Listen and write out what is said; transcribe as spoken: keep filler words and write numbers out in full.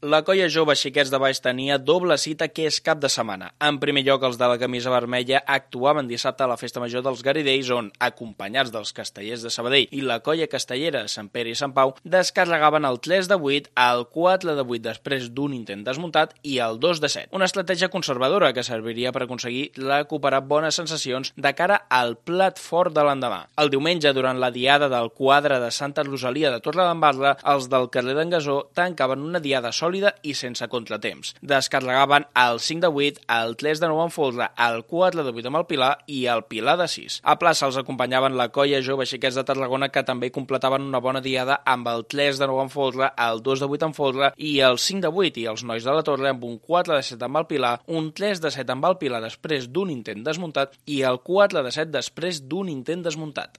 La colla jove Xiquets de Baix tenia doble cita aquest cap de setmana. En primer lloc, els de la camisa vermella actuaven dissabte a la Festa Major dels Garidells, on, acompanyats dels castellers de Sabadell i la colla castellera Sant Pere i Sant Pau, descarregaven el tres de vuit, el quatre de vuit després d'un intent desmuntat i el dos de set. Una estratègia conservadora que serviria per aconseguir recuperar bones sensacions de cara al plat fort de l'endemà. El diumenge, durant la diada del quadre de Santa Rosalia de Torredembarra, els del carrer d'en Gasó tancaven una diada sòlida i sense contratemps. Descarregaven el cinc de vuit, el tres de nou amb folre, el quatre de vuit amb el Pilar i el Pilar de sis. A plaça els acompanyaven la colla jove Xiquets de Tarragona, que també completaven una bona diada amb el tres de nou amb folre, el dos de vuit amb folre i el cinc de vuit, i els nois de la Torre amb un quatre de set amb el Pilar, un tres de set amb el Pilar després d'un intent desmuntat i el quatre de set després d'un intent desmuntat.